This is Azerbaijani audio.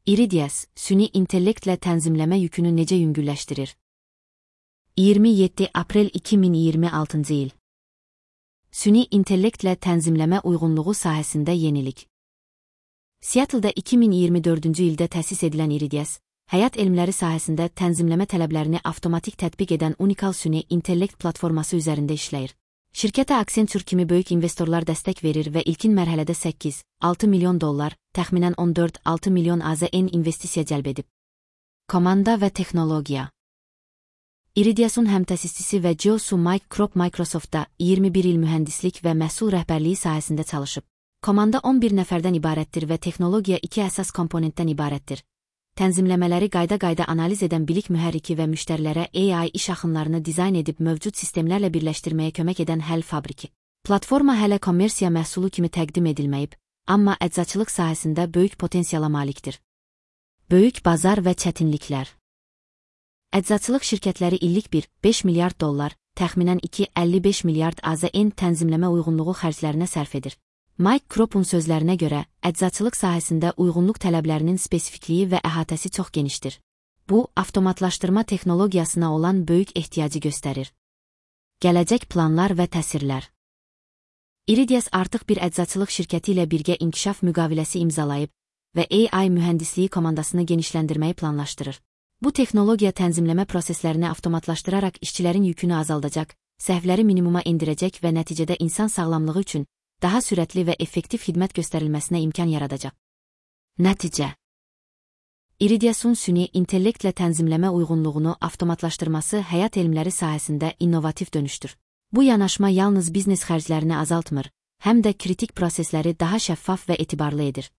Iridias, süni intellektlə tənzimləmə yükünü necə yüngülləşdirir? 27 aprel 2026 il. Süni intellektlə tənzimləmə uyğunluğu sahəsində yenilik. Seattle-da 2024-cü ildə təsis edilən Iridias, həyat elmləri sahəsində tənzimləmə tələblərini avtomatik tətbiq edən unikal süni intellekt platforması üzərində işləyir. Şirkətə Accenture kimi böyük investorlar dəstək verir və ilkin mərhələdə 8-6 milyon dollar, təxminən 14-6 milyon AZN investisiya cəlb edib. Komanda və texnologiya. Iridias'un həmtəsisçisi və CEO Mike Krop Microsoftda 21 il mühəndislik və məhsul rəhbərliyi sahəsində çalışıb. Komanda 11 nəfərdən ibarətdir və texnologiya 2 əsas komponentdən ibarətdir. Tənzimləmələri qayda-qayda analiz edən bilik mühərriki və müştərilərə AI iş axınlarını dizayn edib mövcud sistemlərlə birləşdirməyə kömək edən həll fabriki. Platforma hələ kommersiya məhsulu kimi təqdim edilməyib, amma əczaçılıq sahəsində böyük potensiala malikdir. Böyük bazar və çətinliklər. Əczaçılıq şirkətləri illik 1-5 milyard dollar, təxminən 2-55 milyard AZN tənzimləmə uyğunluğu xərclərinə sərf edir. Mike Krop'un sözlərinə görə, əczaçılıq sahəsində uyğunluq tələblərinin spesifikliyi və əhatəsi çox genişdir. Bu, avtomatlaşdırma texnologiyasına olan böyük ehtiyacı göstərir. Gələcək planlar və təsirlər. Iridias artıq bir əczaçılıq şirkəti ilə birgə inkişaf müqaviləsi imzalayıb və AI mühəndisliyi komandasını genişləndirməyi planlaşdırır. Bu texnologiya tənzimləmə proseslərini avtomatlaşdıraraq işçilərin yükünü azaldacaq, səhvləri minimuma endirəcək və nəticədə insan sağlamlığı üçün daha sürətli və effektiv xidmət göstərilməsinə imkan yaradacaq. Nəticə. Iridias'un süni intellektlə tənzimləmə uyğunluğunu avtomatlaşdırması həyat elmləri sahəsində innovativ dönüşdür. Bu yanaşma yalnız biznes xərclərini azaltmır, həm də kritik prosesləri daha şəffaf və etibarlı edir.